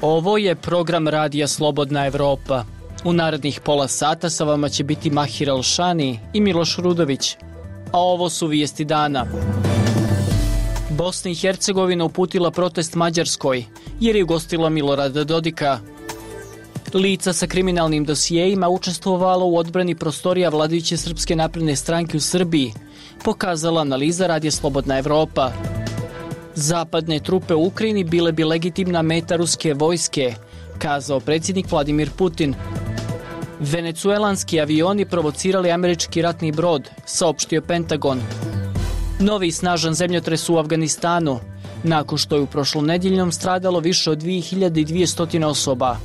Ovo je program Radija Slobodna Evropa. U narednih pola sata sa vama će biti Mahir Alšani i Miloš Rudović. A ovo su vijesti dana. Bosna i Hercegovina uputila protest Mađarskoj jer je ugostila Milorada Dodika. Lica sa kriminalnim dosijejima učestvovalo u odbrani prostorija vladajuće Srpske napredne stranke u Srbiji, pokazala analiza Radija Slobodna Evropa. Zapadne trupe u Ukrajini bile bi legitimna meta ruske vojske, kazao predsjednik Vladimir Putin. Venecuelanski avioni provocirali američki ratni brod, saopštio Pentagon. Novi snažan zemljotres u Afganistanu, nakon što je u prošlonedjeljnom stradalo više od 2200 osoba.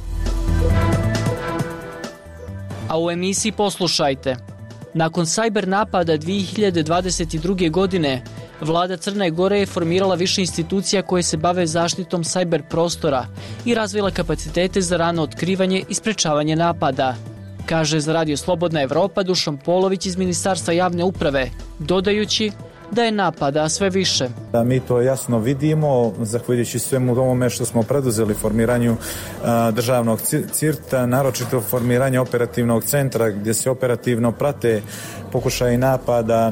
A u emisiji poslušajte. Nakon sajber napada 2022. godine, Vlada Crne Gore je formirala više institucija koje se bave zaštitom sajber prostora i razvila kapacitete za rano otkrivanje i sprečavanje napada, kaže za Radio Slobodna Evropa Dušan Polović iz Ministarstva javne uprave, dodajući da je napada sve više. Mi to jasno vidimo, zahvaljujući svemu ovome što smo preduzeli formiranju državnog CIRT-a, naročito formiranje operativnog centra gdje se operativno prate pokušaji napada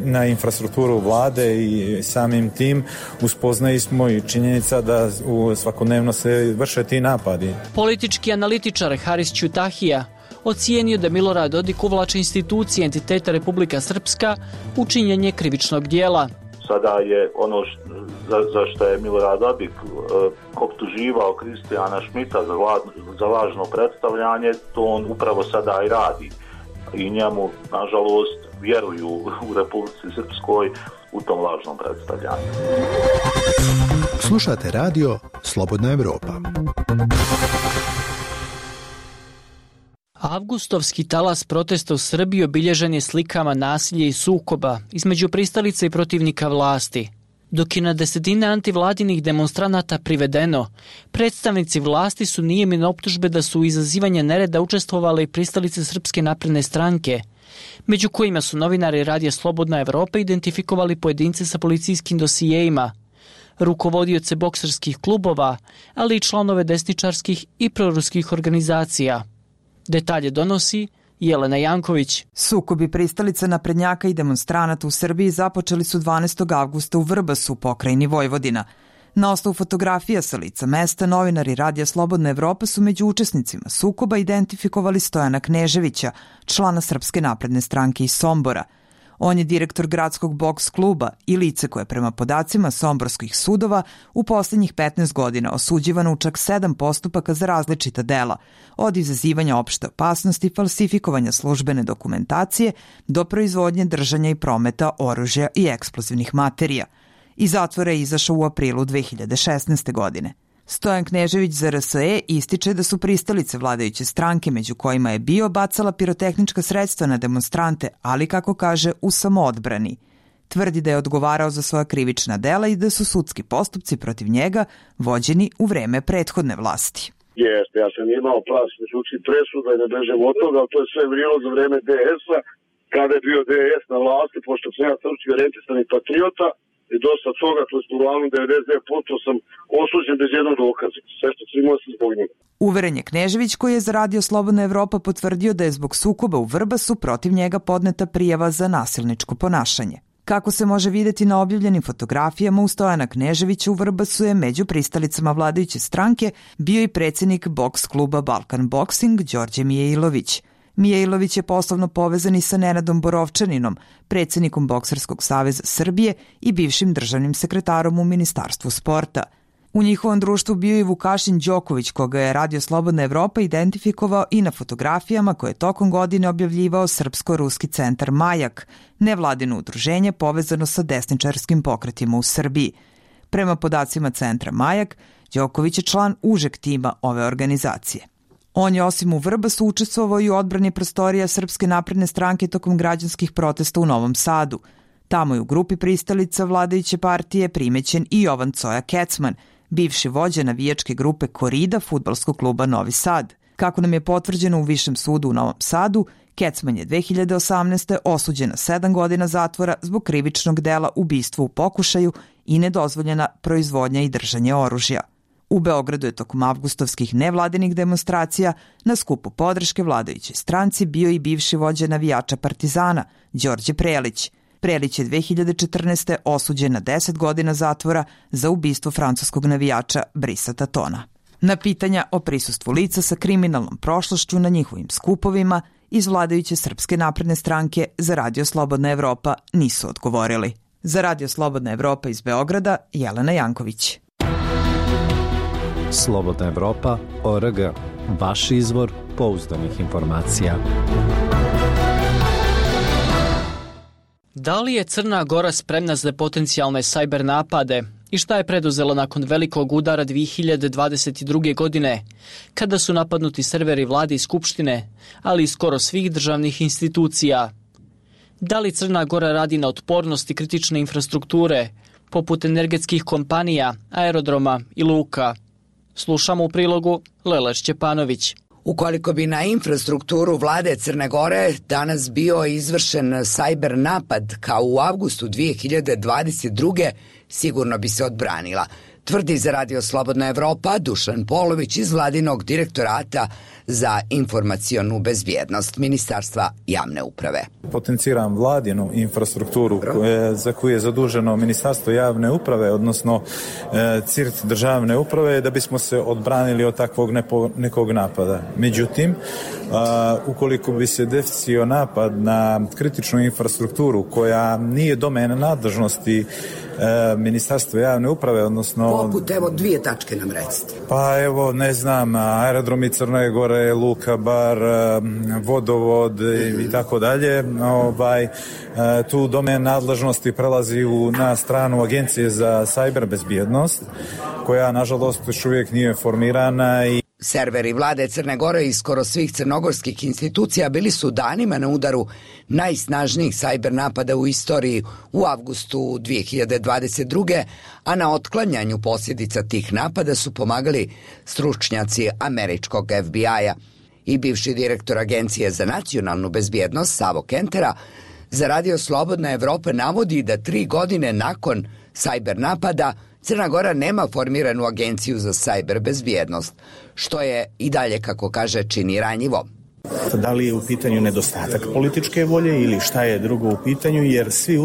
na infrastrukturu vlade i samim tim uspoznali smo i činjenica da svakodnevno se vrše ti napadi. Politički analitičar Haris Ćutahija ocijenio da Milorad Dodik uvlači institucije entiteta Republika Srpska u činjenje krivičnog dijela. Sada je ono za što je Milorad Dodik optuživao Kristijana Šmita za lažno predstavljanje, to on upravo sada i radi. I njemu, nažalost, vjeruju u Republici Srpskoj u tom lažnom predstavljanju. Slušate radio Slobodna Evropa. Avgustovski talas protesta u Srbiji obilježen je slikama nasilja i sukoba između pristalica i protivnika vlasti. Dok je na desetine antivladinih demonstranata privedeno, predstavnici vlasti su nijemne optužbe da su u izazivanju nereda učestvovale i pristalice Srpske napredne stranke, među kojima su novinari Radija Slobodna Evropa identifikovali pojedince sa policijskim dosijejima, rukovodioce bokserskih klubova, ali i članove desničarskih i proruskih organizacija. Detalje donosi Jelena Janković. Sukobi pristalica naprednjaka i demonstranata u Srbiji započeli su 12. avgusta u Vrbasu, pokrajini Vojvodina. Na osnovu fotografija sa lica mesta, novinari Radija Slobodna Evropa su među učesnicima sukoba identifikovali Stojana Kneževića, člana Srpske napredne stranke iz Sombora. On je direktor gradskog boks kluba i lice koje prema podacima somborskih sudova u posljednjih 15 godina osuđivano u čak 7 postupaka za različita dela, od izazivanja opšte opasnosti, falsifikovanja službene dokumentacije do proizvodnje, držanja i prometa oružja i eksplozivnih materija. Iz zatvora je izašao u aprilu 2016. godine. Stojan Knežević za RSE ističe da su pristalice vladajuće stranke, među kojima je bio, bacala pirotehnička sredstva na demonstrante, ali kako kaže u samoodbrani. Tvrdi da je odgovarao za svoja krivična dela i da su sudski postupci protiv njega vođeni u vreme prethodne vlasti. Jeste, ja sam imao pravomoćnu sudski presudu, da ne bežem od toga, ali to je sve vrijelo za vreme DS-a, kada je bio DS na vlasti, pošto sam ja srpski orijentisani patriota. I dosta toga, to je uglavnom 99% sam osuđen bez jednog dokaza. Sve što sam imao sam zbog njega. Uveren je Knežević, koji je za Radio Slobodna Evropa potvrdio da je zbog sukoba u Vrbasu protiv njega podneta prijava za nasilničko ponašanje. Kako se može vidjeti na objavljenim fotografijama, u Stojana Kneževića u Vrbasu je među pristalicama vladajuće stranke bio i predsjednik boks kluba Balkan Boxing Đorđe Mijailović. Mijailović je poslovno povezan i sa Nenadom Borovčaninom, predsjednikom Bokserskog saveza Srbije i bivšim državnim sekretarom u Ministarstvu sporta. U njihovom društvu bio i Vukašin Đoković, koga je Radio Slobodna Evropa identifikovao i na fotografijama koje je tokom godine objavljivao Srpsko-ruski centar Majak, nevladino udruženje povezano sa desničarskim pokretima u Srbiji. Prema podacima centra Majak, Đoković je član užeg tima ove organizacije. On je osim u Vrbasu učestvovao i u odbrani prostorija Srpske napredne stranke tokom građanskih protesta u Novom Sadu. Tamo je u grupi pristalica vladajuće partije primećen i Jovan Coja Kecman, bivši vođa navijačke grupe Korida fudbalskog kluba Novi Sad. Kako nam je potvrđeno u Višem sudu u Novom Sadu, Kecman je 2018. osuđen na 7 godina zatvora zbog krivičnog dela ubistva u pokušaju i nedozvoljena proizvodnja i držanje oružja. U Beogradu je tokom avgustovskih nevladinih demonstracija na skupu podrške vladajućoj stranci bio i bivši vođa navijača Partizana, Đorđe Prelić. Prelić je 2014. osuđen na 10 godina zatvora za ubistvo francuskog navijača Brisa Tatona. Na pitanja o prisustvu lica sa kriminalnom prošlošću na njihovim skupovima iz vladajuće Srpske napredne stranke za Radio Slobodna Evropa nisu odgovorili. Za Radio Slobodna Evropa iz Beograda, Jelena Janković. Slobodna Evropa.org. Vaš izvor pouzdanih informacija. Da li je Crna Gora spremna za potencijalne sajber napade i šta je preduzela nakon velikog udara 2022. godine, kada su napadnuti serveri vlade i skupštine, ali i skoro svih državnih institucija? Da li Crna Gora radi na otpornosti kritične infrastrukture, poput energetskih kompanija, aerodroma i luka? Slušamo u prilogu Lela Šćepanović. Ukoliko bi na infrastrukturu vlade Crne Gore danas bio izvršen sajber napad kao u avgustu 2022. sigurno bi se odbranila, tvrdi za Radio Slobodna Evropa Dušan Polović iz vladinog direktorata za informacionu bezbjednost Ministarstva javne uprave. Potenciram vladinu infrastrukturu za koju je zaduženo Ministarstvo javne uprave, odnosno CIRT državne uprave, da bismo se odbranili od takvog nekog napada. Međutim, ukoliko bi se desio napad na kritičnu infrastrukturu koja nije domena nadležnosti Ministarstva javne uprave, odnosno... Poput, evo, 2 tačke nam recite. Pa evo, ne znam, aerodromi Crne Gore, Luka Bar, vodovod i tako dalje. Tu domen nadležnosti prelazi na stranu Agencije za sajber bezbjednost, koja, nažalost, još uvijek nije formirana i serveri vlade Crne Gore i skoro svih crnogorskih institucija bili su danima na udaru najsnažnijih sajber napada u istoriji u avgustu 2022. a na otklanjanju posljedica tih napada su pomagali stručnjaci američkog FBI-a. I bivši direktor Agencije za nacionalnu bezbjednost Savo Kentera za Radio Slobodna Evropa navodi da 3 godine nakon sajber napada Crna Gora nema formiranu agenciju za sajber bezbjednost, što je i dalje, kako kaže, čini ranjivo. Da li je u pitanju nedostatak političke volje ili šta je drugo u pitanju, jer svi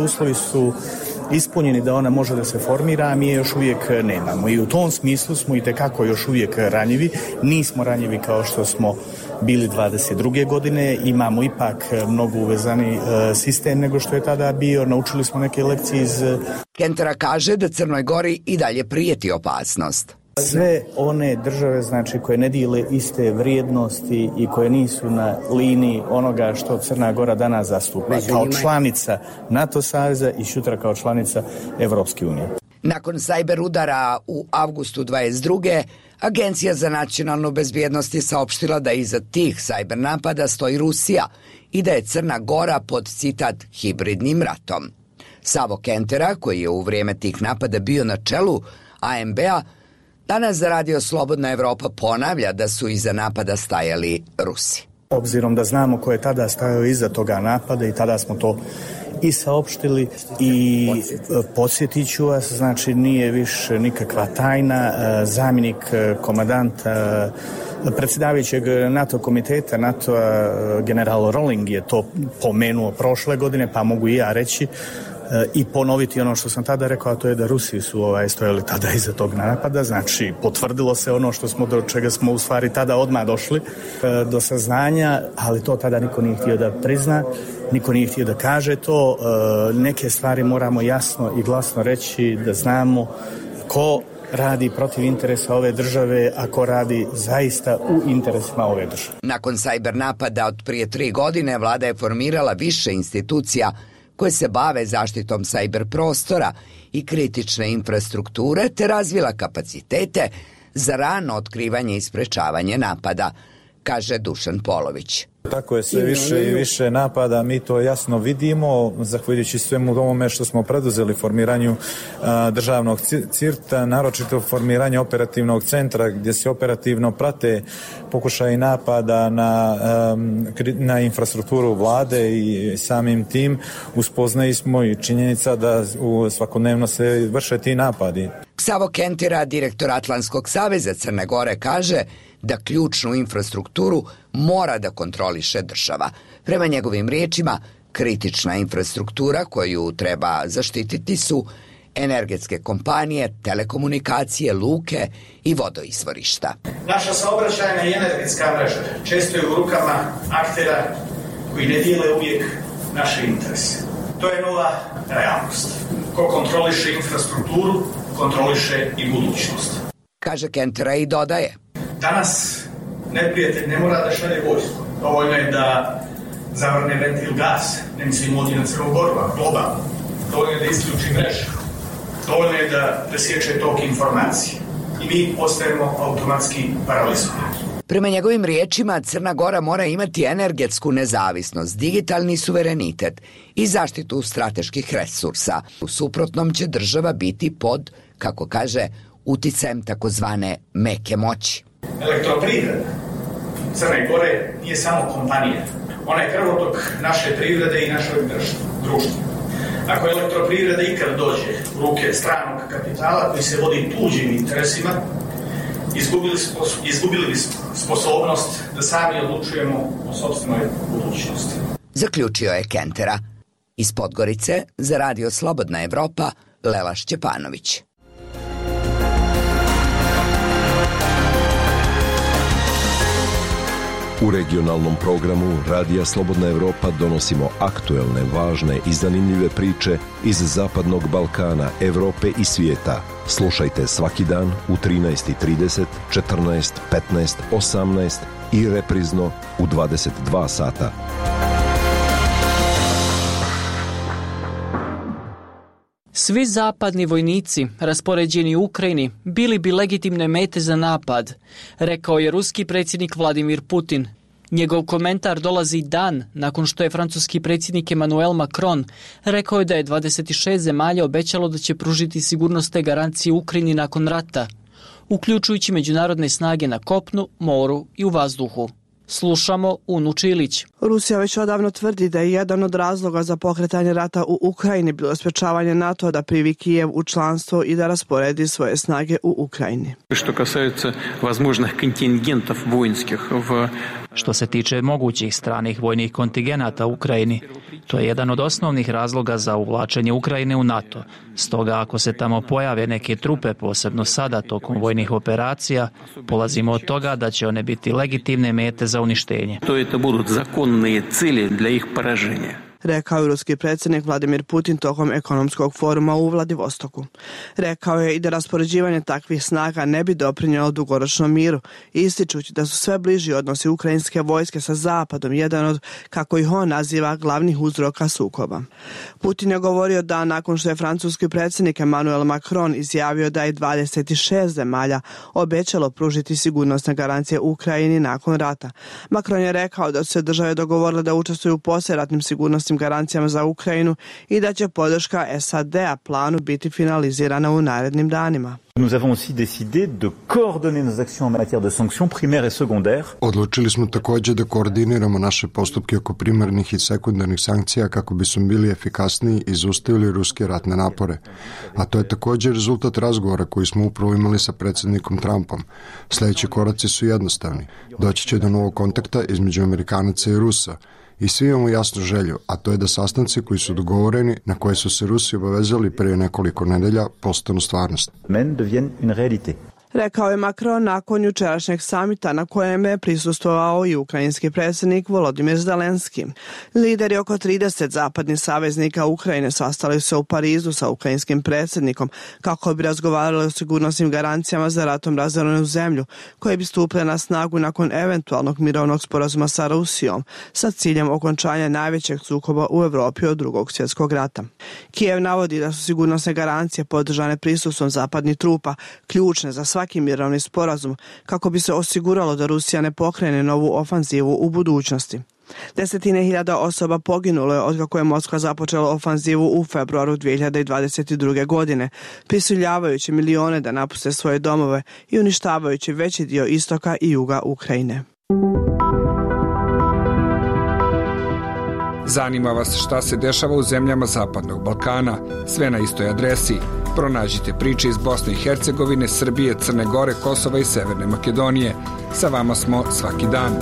uslovi su ispunjeni da ona može da se formira, a mi je još uvijek nemamo. I u tom smislu smo itekako još uvijek ranjivi. Nismo ranjivi kao što smo bili 22. godine, imamo ipak mnogo uvezani sistem nego što je tada bio. Naučili smo neke lekcije iz... Kentera kaže da Crnoj Gori i dalje prijeti opasnost. Sve one države, znači, koje ne dijele iste vrijednosti i koje nisu na liniji onoga što Crna Gora danas zastupa kao članica NATO saveza i sutra kao članica Evropske unije. Nakon sajber udara u avgustu 22. Agencija za nacionalnu bezbjednost je saopštila da iza tih sajber napada stoji Rusija i da je Crna Gora pod, citat, hibridnim ratom. Savo Kentera, koji je u vrijeme tih napada bio na čelu ANB-a, danas za Radio Slobodna Evropa ponavlja da su iza napada stajali Rusi. Obzirom da znamo ko je tada stajao iza toga napada i tada smo to i saopštili i podsjetit ću vas, znači nije više nikakva tajna. Zamjenik komandanta predsjedavajućeg NATO komiteta NATO-a general Rowling je to pomenuo prošle godine, pa mogu i ja reći i ponoviti ono što sam tada rekao, a to je da Rusi su stojali tada iza tog napada. Znači, potvrdilo se ono što smo, do čega smo u stvari tada odmah došli do saznanja, ali to tada niko nije htio da prizna, niko nije htio da kaže to. Neke stvari moramo jasno i glasno reći, da znamo ko radi protiv interesa ove države, a ko radi zaista u interesima ove države. Nakon sajber napada od prije 3 godine, vlada je formirala više institucija koje se bave zaštitom sajber prostora i kritične infrastrukture, te razvila kapacitete za rano otkrivanje i sprečavanje napada, kaže Dušan Polović. Tako je, sve više i više napada, mi to jasno vidimo, zahvaljujući svemu ovome što smo preduzeli formiranju državnog CIRT-a, naročito formiranje operativnog centra gdje se operativno prate pokušaji napada na infrastrukturu vlade i samim tim uspoznali smo i činjenica da svakodnevno se vrše ti napadi. Ksavo Kentira, direktor Atlantskog saveza Crne Gore, kaže da ključnu infrastrukturu mora da kontroliše država. Prema njegovim riječima, kritična infrastruktura koju treba zaštititi su energetske kompanije, telekomunikacije, luke i vodoizvorišta. Naša saobraćajna i energetska mreža često je u rukama aktera koji ne dijele uvijek naše interese. To je nova realnost. Ko kontroliše infrastrukturu, kontroliše i budućnost. Kaže Kentera i dodaje. Danas neprijatelj ne mora da šalje vojsku. Dovoljno je da zavrne ventil gas, ne mislim ovdje na Crnu Goru, a globalno. Dovoljno je da isključi mrežu. Dovoljno je da presječe tok informacije. I mi postajemo automatski paralizovani. Prema njegovim riječima, Crna Gora mora imati energetsku nezavisnost, digitalni suverenitet i zaštitu strateških resursa. U suprotnom će država biti pod, kako kaže, uticajem takozvane meke moći. Elektroprivreda Crne Gore nije samo kompanija. Ona je krvotok naše privrede i našeg društva. Ako elektroprivreda ikad dođe u ruke stranog kapitala koji se vodi tuđim interesima, izgubili bi sposobnost da sami odlučujemo o sopstvenoj budućnosti. Zaključio je Kentera. Iz Podgorice za Radio Slobodna Evropa, Lela Šćepanović. U regionalnom programu Radija Slobodna Evropa donosimo aktuelne, važne i zanimljive priče iz Zapadnog Balkana, Evrope i svijeta. Slušajte svaki dan u 13:30, 14, 15, 18 i reprizno u 22 sata. Svi zapadni vojnici raspoređeni u Ukrajini bili bi legitimne mete za napad, rekao je ruski predsjednik Vladimir Putin. Njegov komentar dolazi dan nakon što je francuski predsjednik Emmanuel Macron rekao je da je 26 zemalja obećalo da će pružiti sigurnosne garancije Ukrajini nakon rata, uključujući međunarodne snage na kopnu, moru i u vazduhu. Slušamo Unu Čilić. Rusija već odavno tvrdi da je jedan od razloga za pokretanje rata u Ukrajini bilo sprečavanje NATO da primi Kijev u članstvo i da rasporedi svoje snage u Ukrajini. Što se tiče mogućih stranih vojnih kontingenata u Ukrajini, to je jedan od osnovnih razloga za uvlačenje Ukrajine u NATO. Stoga ako se tamo pojave neke trupe, posebno sada tokom vojnih operacija, polazimo od toga da će one biti legitimne mete za uništenje. To budu zakonne cilje dla ih poraženja. Rekao je ruski predsjednik Vladimir Putin tokom ekonomskog foruma u Vladivostoku. Rekao je i da raspoređivanje takvih snaga ne bi doprinjelo dugoročnom miru, ističući da su sve bliži odnosi ukrajinske vojske sa Zapadom jedan od, kako ih on naziva, glavnih uzroka sukoba. Putin je govorio dan nakon što je francuski predsjednik Emmanuel Macron izjavio da je 26 zemalja obećalo pružiti sigurnosne garancije Ukrajini nakon rata. Macron je rekao da su se države dogovorile da učestvuju u poslijeratnim sigurnosnim garancijama za Ukrajinu i da će podrška SAD-a planu biti finalizirana u narednim danima. Nous avons aussi décidé de coordonner nos actions en matière de sanctions primaires et secondaires. Odlučili smo također da koordiniramo naše postupke oko primarnih i sekundarnih sankcija kako bismo bili efikasniji i zaustavili ruske ratne napore. A to je također rezultat razgovora koji smo upravo imali sa predsjednikom Trumpom. Sljedeći koraci su jednostavni. Doći će do novog kontakta između Amerikanaca i Rusa. I svi imamo jasnu želju, a to je da sastanci koji su dogovoreni, na koje su se Rusi obavezali prije nekoliko nedelja, postanu stvarnost. Rekao je Macron nakon jučerašnjeg samita na kojem je prisustvovao i ukrajinski predsjednik Volodymyr Zelenski. Lideri oko 30 zapadnih saveznika Ukrajine sastali se u Parizu sa ukrajinskim predsjednikom kako bi razgovarali o sigurnosnim garancijama za ratom razorenu zemlju koje bi stupile na snagu nakon eventualnog mirovnog sporazuma sa Rusijom sa ciljem okončanja najvećeg sukoba u Europi od Drugog svjetskog rata. Kijev navodi da su sigurnosne garancije podržane prisustvom zapadnih trupa ključne za svaki mirovni sporazum kako bi se osiguralo da Rusija ne pokrene novu ofanzivu u budućnosti. 10.000 osoba poginulo je otkako je Moskva započela ofanzivu u februaru 2022. godine, prisiljavajući milijone da napuste svoje domove i uništavajući veći dio istoka i juga Ukrajine. Zanima vas šta se dešava u zemljama Zapadnog Balkana? Sve na istoj adresi Pronađite priče iz Bosne i Hercegovine, Srbije, Crne Gore, Kosova i Severne Makedonije. Sa vama smo svaki dan.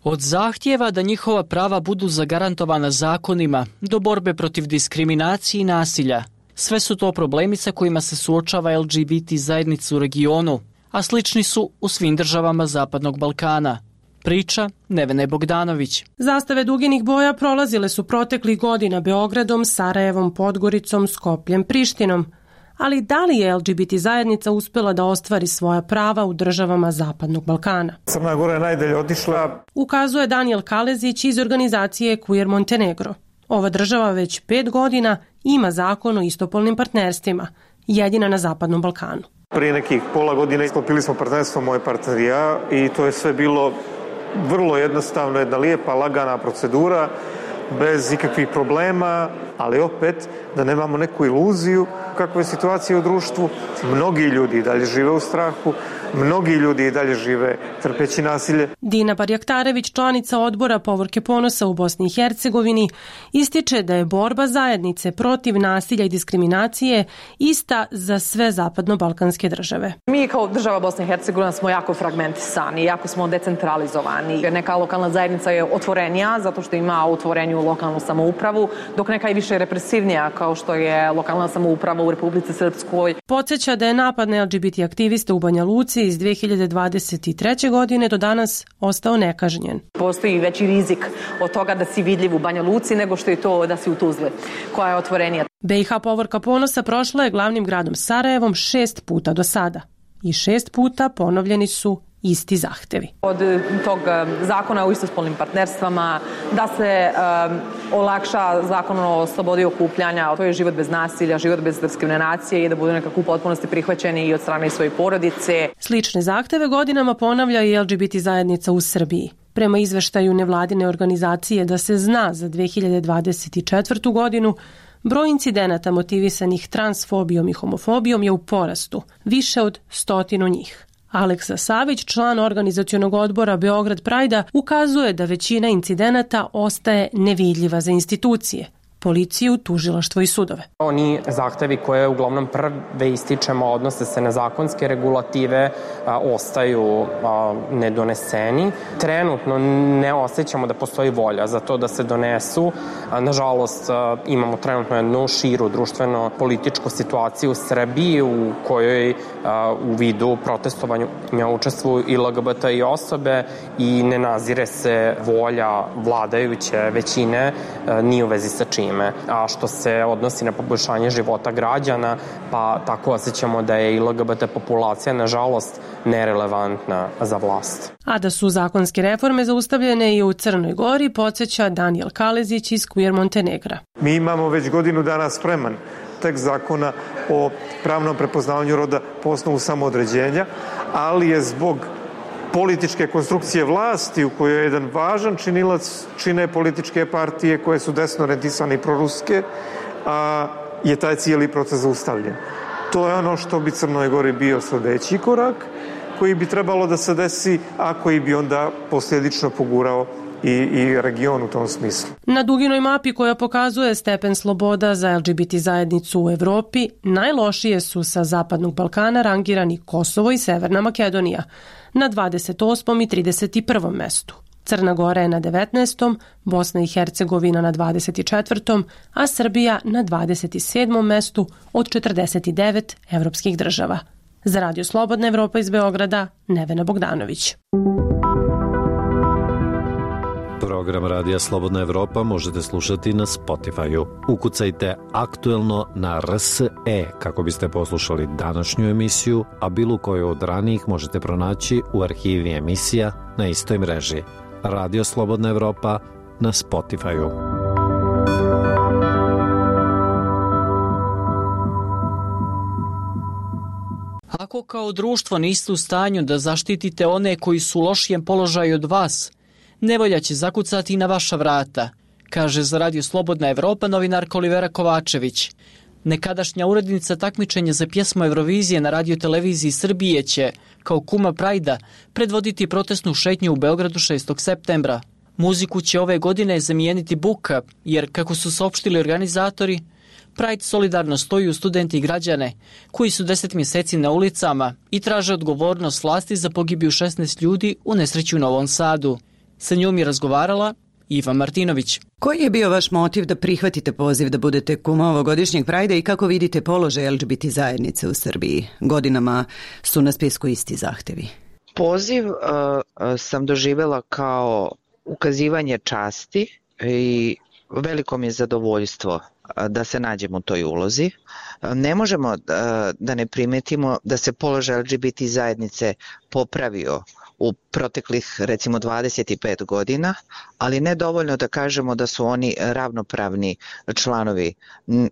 Od zahtjeva da njihova prava budu zagarantovana zakonima do borbe protiv diskriminacije i nasilja. Sve su to problemi sa kojima se suočava LGBT zajednica u regionu, a slični su u svim državama Zapadnog Balkana. Priča Nevene Bogdanović. Zastave duginih boja prolazile su proteklih godina Beogradom, Sarajevom, Podgoricom, Skopljem, Prištinom. Ali da li je LGBT zajednica uspjela da ostvari svoja prava u državama Zapadnog Balkana? Crna Gora je najdalje otišla. Ukazuje Daniel Kalezić iz organizacije Queer Montenegro. Ova država već 5 godina ima zakon o istopolnim partnerstvima, jedina na Zapadnom Balkanu. Prije nekih pola godine isklopili smo partnerstvo, moj partner i ja, i to je sve bilo vrlo jednostavno, jedna lijepa, lagana procedura, bez ikakvih problema, ali opet da nemamo neku iluziju kakva je situacija u društvu. Mnogi ljudi i dalje žive u strahu, mnogi ljudi i dalje žive trpeći nasilje. Dina Barjaktarević, članica odbora Povorke ponosa u Bosni i Hercegovini, ističe da je borba zajednice protiv nasilja i diskriminacije ista za sve zapadno-balkanske države. Mi kao država Bosne i Hercegovina smo jako fragmentisani, jako smo decentralizovani. Neka lokalna zajednica je otvorenija zato što ima otvorenju lokalnu samoupravu, dok neka je više represivnija kao što je lokalna samouprava u Republici Srpskoj. Podsjeća da je napad na LGBT aktiviste u Banja Luci iz 2023. godine do danas ostao nekažnjen. Postoji veći rizik od toga da si vidljiv u Banja Luci nego što je to da si u Tuzli, koja je otvorenija. BiH Povorka ponosa prošla je glavnim gradom Sarajevom 6 puta do sada i 6 puta ponovljeni su isti zahtevi. Od tog zakona o istospolnim partnerstvama, da se olakša zakon o slobodi okupljanja, to je život bez nasilja, život bez diskriminacije i da budu nekako u potpunosti prihvaćeni i od strane svoje porodice. Slične zahteve godinama ponavlja i LGBT zajednica u Srbiji. Prema izveštaju nevladine organizacije Da se zna za 2024. godinu, broj incidenata motivisanih transfobijom i homofobijom je u porastu, više od 100 njih. Aleksa Savić, član organizacionog odbora Beograd Prajda, ukazuje da većina incidenata ostaje nevidljiva za institucije, policiju, tužilaštvo i sudove. Oni zahtevi koje uglavnom prve ističemo odnose se na zakonske regulative, ostaju nedoneseni. Trenutno ne osjećamo da postoji volja za to da se donesu. Nažalost, imamo trenutno jednu širu društveno-političku situaciju u Srbiji u kojoj u vidu protestovanja učestvuju i LGBT i osobe i ne nazire se volja vladajuće većine ni u vezi sa čim. A što se odnosi na poboljšanje života građana, pa tako osjećamo da je i LGBT populacija, nažalost, nerelevantna za vlast. A da su zakonske reforme zaustavljene i u Crnoj Gori, podsjeća Daniel Kalezić iz Queer Montenegra. Mi imamo već godinu dana spreman tekst zakona o pravnom prepoznavanju roda po osnovu samoodređenja, ali je zbog političke konstrukcije vlasti u kojoj je jedan važan činilac čine političke partije koje su desno orijentisane i proruske, je taj cijeli proces zaustavljen. To je ono što bi Crnoj Gori bio sljedeći korak koji bi trebalo da se desi, a koji bi onda posljedično pogurao i region u tom smislu. Na duginoj mapi koja pokazuje stepen sloboda za LGBT zajednicu u Evropi, najlošije su sa Zapadnog Balkana rangirani Kosovo i Severna Makedonija na 28. i 31. mestu. Crna Gora je na 19. Bosna i Hercegovina na 24. a Srbija na 27. mestu od 49 evropskih država. Za Radio Slobodna Evropa iz Beograda, Nevena Bogdanović. Program Radija Slobodna Evropa možete slušati na Spotify-u. Ukucajte aktuelno na RSE kako biste poslušali današnju emisiju, a bilo koju od ranijih možete pronaći u arhivi emisija na istoj mreži. Radio Slobodna Evropa na Spotify-u. Ako kao društvo niste u stanju da zaštitite one koji su u lošijem položaju od vas, nevolja će zakucati na vaša vrata, kaže za Radio Slobodna Evropa novinarka Olivera Kovačević. Nekadašnja urednica takmičenja za pjesmu Eurovizije na radioteleviziji Srbije će, kao kuma Prajda, predvoditi protestnu šetnju u Beogradu 6. septembra. Muziku će ove godine zamijeniti buka, jer, kako su saopštili organizatori, Pride solidarno stoji u studenti i građane koji su 10 mjeseci na ulicama i traže odgovornost vlasti za pogibiju 16 ljudi u nesreći u Novom Sadu. Sa njom je razgovarala Iva Martinović. Koji je bio vaš motiv da prihvatite poziv da budete kuma ovogodišnjeg Prajda i kako vidite položaj LGBT zajednice u Srbiji? Godinama su na spisku isti zahtevi. Poziv sam doživjela kao ukazivanje časti i veliko mi je zadovoljstvo da se nađemo u toj ulozi. Ne možemo da ne primetimo da se položaj LGBT zajednice popravio u proteklih recimo 25 godina, ali ne dovoljno da kažemo da su oni ravnopravni članovi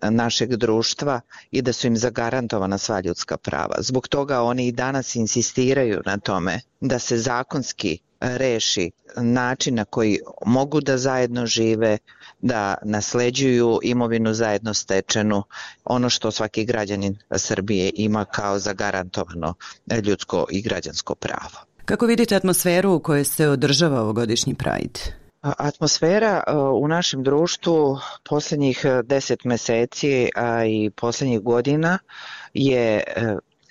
našeg društva i da su im zagarantovana sva ljudska prava. Zbog toga oni i danas insistiraju na tome da se zakonski reši način na koji mogu da zajedno žive, da nasleđuju imovinu zajedno stečenu, ono što svaki građanin Srbije ima kao zagarantovano ljudsko i građansko pravo. Kako vidite atmosferu u kojoj se održava ovogodišnji Pride? Atmosfera u našem društvu posljednjih 10 mjeseci, a i posljednjih godina je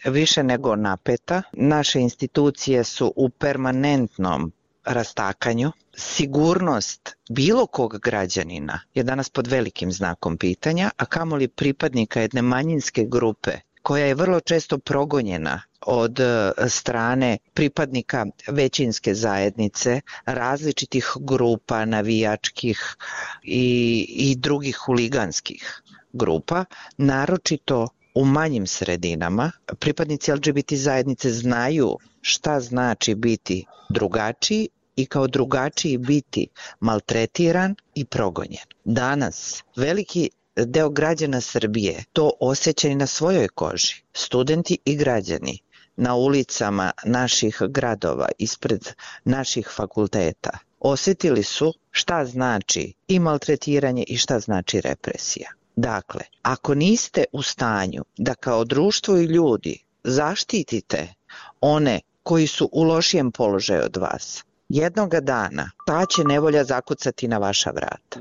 više nego napeta. Naše institucije su u permanentnom rastakanju. Sigurnost bilo kog građanina je danas pod velikim znakom pitanja, a kamoli pripadnika jedne manjinske grupe koja je vrlo često progonjena od strane pripadnika većinske zajednice, različitih grupa navijačkih i drugih huliganskih grupa, naročito u manjim sredinama. Pripadnici LGBT zajednice znaju šta znači biti drugačiji i kao drugačiji biti maltretiran i progonjen. Danas veliki deo građana Srbije to osjeća i na svojoj koži. Studenti i građani na ulicama naših gradova, ispred naših fakulteta, osjetili su šta znači i maltretiranje i šta znači represija. Dakle, ako niste u stanju da kao društvo i ljudi zaštitite one koji su u lošijem položaju od vas, jednoga dana ta će nevolja zakucati na vaša vrata.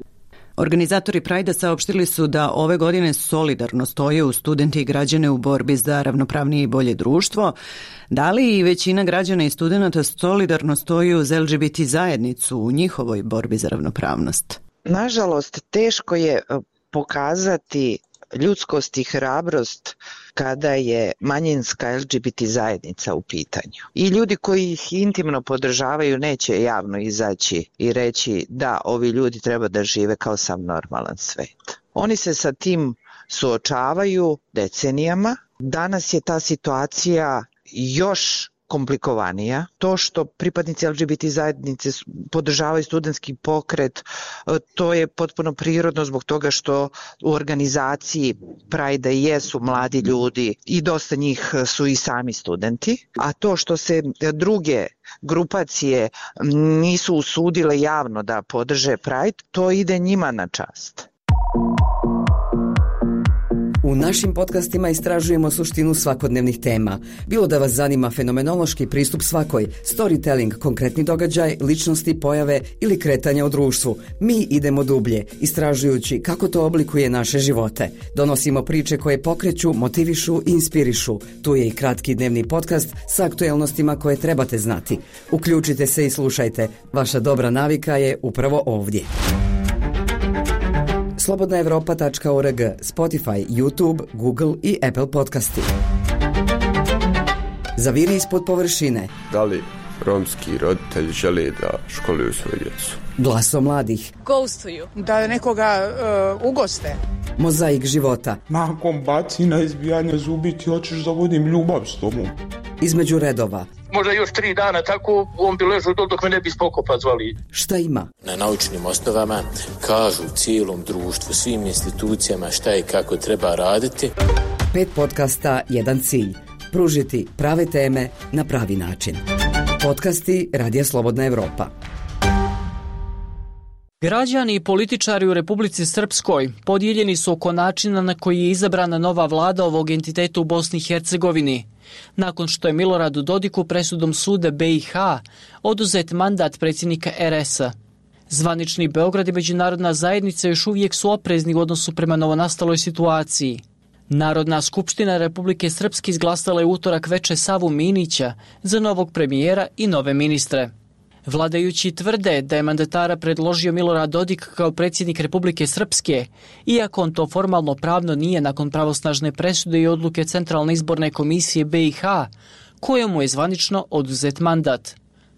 Organizatori Prajda saopštili su da ove godine solidarno stoje uz studente i građane u borbi za ravnopravnije i bolje društvo. Da li i većina građana i studenta solidarno stoji uz LGBT zajednicu u njihovoj borbi za ravnopravnost? Nažalost, teško je pokazati ljudskost i hrabrost kada je manjinska LGBT zajednica u pitanju. I ljudi koji ih intimno podržavaju neće javno izaći i reći da ovi ljudi treba da žive kao sam normalan svet. Oni se sa tim suočavaju decenijama. Danas je ta situacija još komplikovanija. To što pripadnici LGBT zajednice podržavaju studentski pokret, to je potpuno prirodno zbog toga što u organizaciji Prajda jesu mladi ljudi i dosta njih su i sami studenti. A to što se druge grupacije nisu usudile javno da podrže Pride, to ide njima na čast. U našim podcastima istražujemo suštinu svakodnevnih tema. Bilo da vas zanima fenomenološki pristup svakoj, storytelling, konkretni događaj, ličnosti, pojave ili kretanja u društvu. Mi idemo dublje, istražujući kako to oblikuje naše živote. Donosimo priče koje pokreću, motivišu i inspirišu. Tu je i kratki dnevni podcast sa aktuelnostima koje trebate znati. Uključite se i slušajte. Vaša dobra navika je upravo ovdje. slobodnaevropa.org, Spotify, YouTube, Google i Apple podcasti. Zaviri ispod površine. Da li romski roditelji žele da školuju svoju djecu? Glaso mladih. Ghostuju. Da nekoga ugoste. Mozaik života. Nakon bacina, izbijanja zubi ti hoćeš da vodim ljubav s tobom. Između redova. Možda još 3 dana tako on bi ležao dok me ne bi spokopa zvali. Šta ima? Na naučnim osnovama kažu cijelom društvu, svim institucijama šta i kako treba raditi. 5 podcasta, 1 cilj. Pružiti prave teme na pravi način. Podcasti Radija Slobodna Evropa. Građani i političari u Republici Srpskoj podijeljeni su oko načina na koji je izabrana nova vlada ovog entiteta u Bosni i Hercegovini, nakon što je Miloradu Dodiku presudom suda BiH oduzet mandat predsjednika RS-a. Zvanični Beograd i međunarodna zajednica još uvijek su oprezni u odnosu prema novonastaloj situaciji. Narodna skupština Republike Srpske izglasala je utorak veče Savu Minića za novog premijera i nove ministre. Vladajući tvrde da je mandatara predložio Milorad Dodik kao predsjednik Republike Srpske, iako on to formalno pravno nije nakon pravosnažne presude i odluke Centralne izborne komisije BiH, kojemu je zvanično oduzet mandat.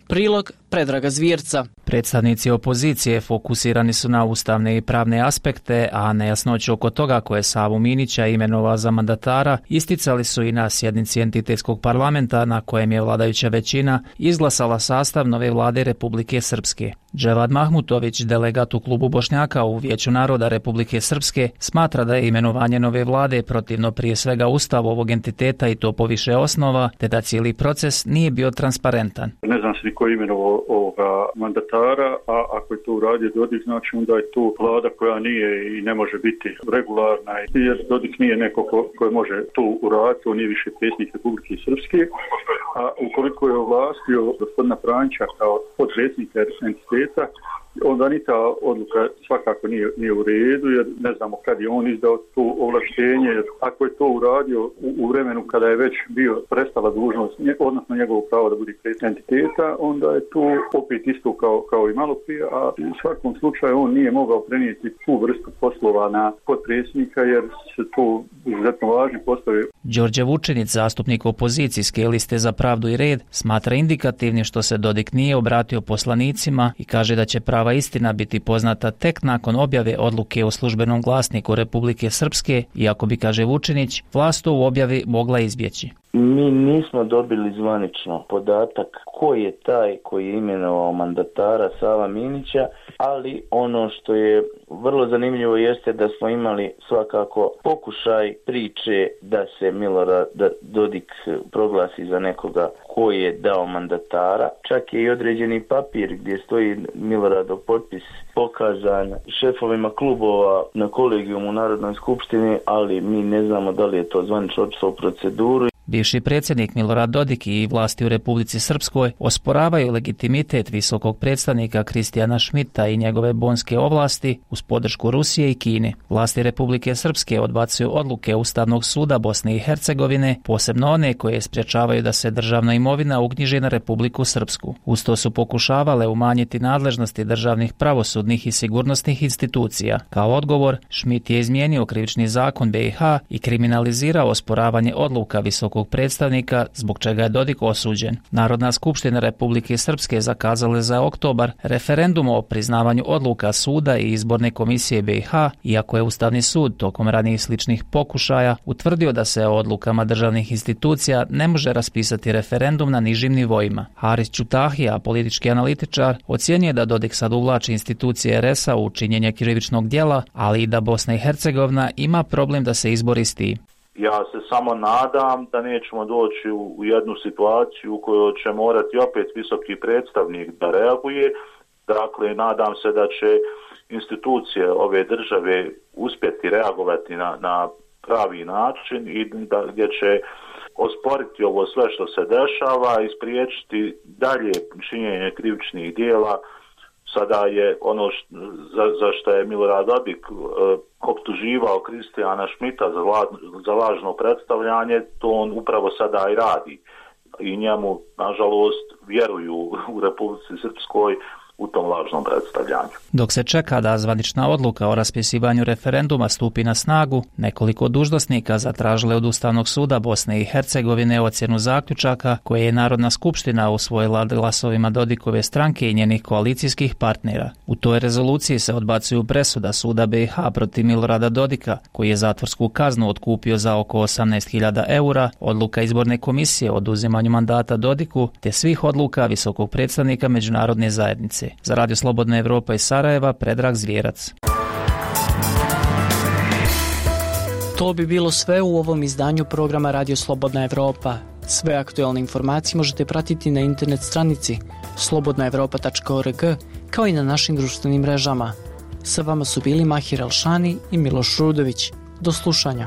Prilog Predraga Zvjerca. Predstavnici opozicije fokusirani su na ustavne i pravne aspekte, a nejasnoću oko toga koje je Savu Minića imenovao za mandatara isticali su i na sjednici entitetskog parlamenta na kojem je vladajuća većina izglasala sastav nove vlade Republike Srpske. Dževad Mahmutović, delegat u klubu Bošnjaka u Vijeću naroda Republike Srpske, smatra da je imenovanje nove vlade protivno prije svega ustavu ovog entiteta i to po više osnova, te da cijeli proces nije bio transparentan. Ne znam se ni ko je imenovao ovoga mandatara, a ako je to uradio Dodik, znači onda je to vlada koja nije i ne može biti regularna, jer Dodik nije neko ko može to uraditi, on nije više predsjednik Republike Srpske, a ukoliko je ovlastio gospodina Franjića kao podpredsjednika entiteta, onda ni ta odluka svakako nije u redu, jer ne znamo kad je on izdao to ovlaštenje. Ako je to uradio u vremenu kada je već bio prestala dužnost, odnosno njegovo pravo da bude predsjednik entiteta, onda je to opet isto kao i malo prije, a u svakom slučaju on nije mogao prenijeti tu vrstu poslova na podpredsjednika, jer se to izuzetno važni poslovi. Đorđe Vučinić, zastupnik opozicijske liste Za pravdu i red, smatra indikativnim što se Dodik nije obratio poslanicima i kaže da će prava istina biti poznata tek nakon objave odluke u službenom glasniku Republike Srpske, iako bi, kaže Vučinić, vlast u objavi mogla izbjeći. Mi nismo dobili zvanično podatak ko je taj koji je imenovao mandatara Sava Minića, ali ono što je vrlo zanimljivo jeste da smo imali svakako pokušaj priče da se Milorad Dodik proglasi za nekoga ko je dao mandatara. Čak je i određeni papir gdje stoji Miloradov potpis pokazan šefovima klubova na kolegijumu u Narodnoj skupštini, ali mi ne znamo da li je to zvanično otišlo u proceduru. Bivši predsjednik Milorad Dodik i vlasti u Republici Srpskoj osporavaju legitimitet visokog predstavnika Kristijana Šmita i njegove bonske ovlasti uz podršku Rusije i Kine. Vlasti Republike Srpske odbacuju odluke Ustavnog suda Bosne i Hercegovine, posebno one koje sprječavaju da se državna imovina uknjiži na Republiku Srpsku. Uz to su pokušavale umanjiti nadležnosti državnih pravosudnih i sigurnosnih institucija. Kao odgovor, Šmit je izmijenio krivični zakon BiH i kriminalizirao osporavanje odluka visokog predstavnika, zbog čega je Dodik osuđen. Narodna skupština Republike Srpske zakazala je za oktobar referendum o priznavanju odluka suda i izborne komisije BiH, iako je Ustavni sud tokom ranijih sličnih pokušaja utvrdio da se o odlukama državnih institucija ne može raspisati referendum na nižim nivoima. Haris Čutahija, politički analitičar, ocjenjuje da Dodik sad uvlači institucije RS-a u činjenje krivičnog djela, ali i da Bosna i Hercegovina ima problem da se izbori s tim. Ja se samo nadam da nećemo doći u jednu situaciju u kojoj će morati opet visoki predstavnik da reaguje. Dakle, nadam se da će institucije ove države uspjeti reagovati na pravi način i gdje će osporiti ovo sve što se dešava i spriječiti dalje činjenje krivičnih dijela. Sada je ono za što je Milorad Dodik optuživao Kristijana Šmita za lažno predstavljanje, to on upravo sada i radi. I njemu, nažalost, vjeruju u Republici Srpskoj u tom lažnom predstavljanju. Dok se čeka da zvanična odluka o raspisivanju referenduma stupi na snagu, nekoliko dužnosnika zatražile od Ustavnog suda Bosne i Hercegovine ocjenu zaključaka koje je Narodna skupština usvojila glasovima Dodikove stranke i njenih koalicijskih partnera. U toj rezoluciji se odbacuju presuda suda BiH protiv Milorada Dodika, koji je zatvorsku kaznu otkupio za oko 18.000 eura, odluka izborne komisije o oduzimanju mandata Dodiku, te svih odluka visokog predstavnika međunarodne zajednice. Za Radio Slobodna Evropa iz Sarajeva, Predrag Zvjerac. To bi bilo sve u ovom izdanju programa Radio Slobodna Evropa. Sve aktualne informacije možete pratiti na internet stranici slobodnaevropa.org kao i na našim društvenim mrežama. Sa vama su bili Mahir Elšani i Miloš Rudović. Do slušanja.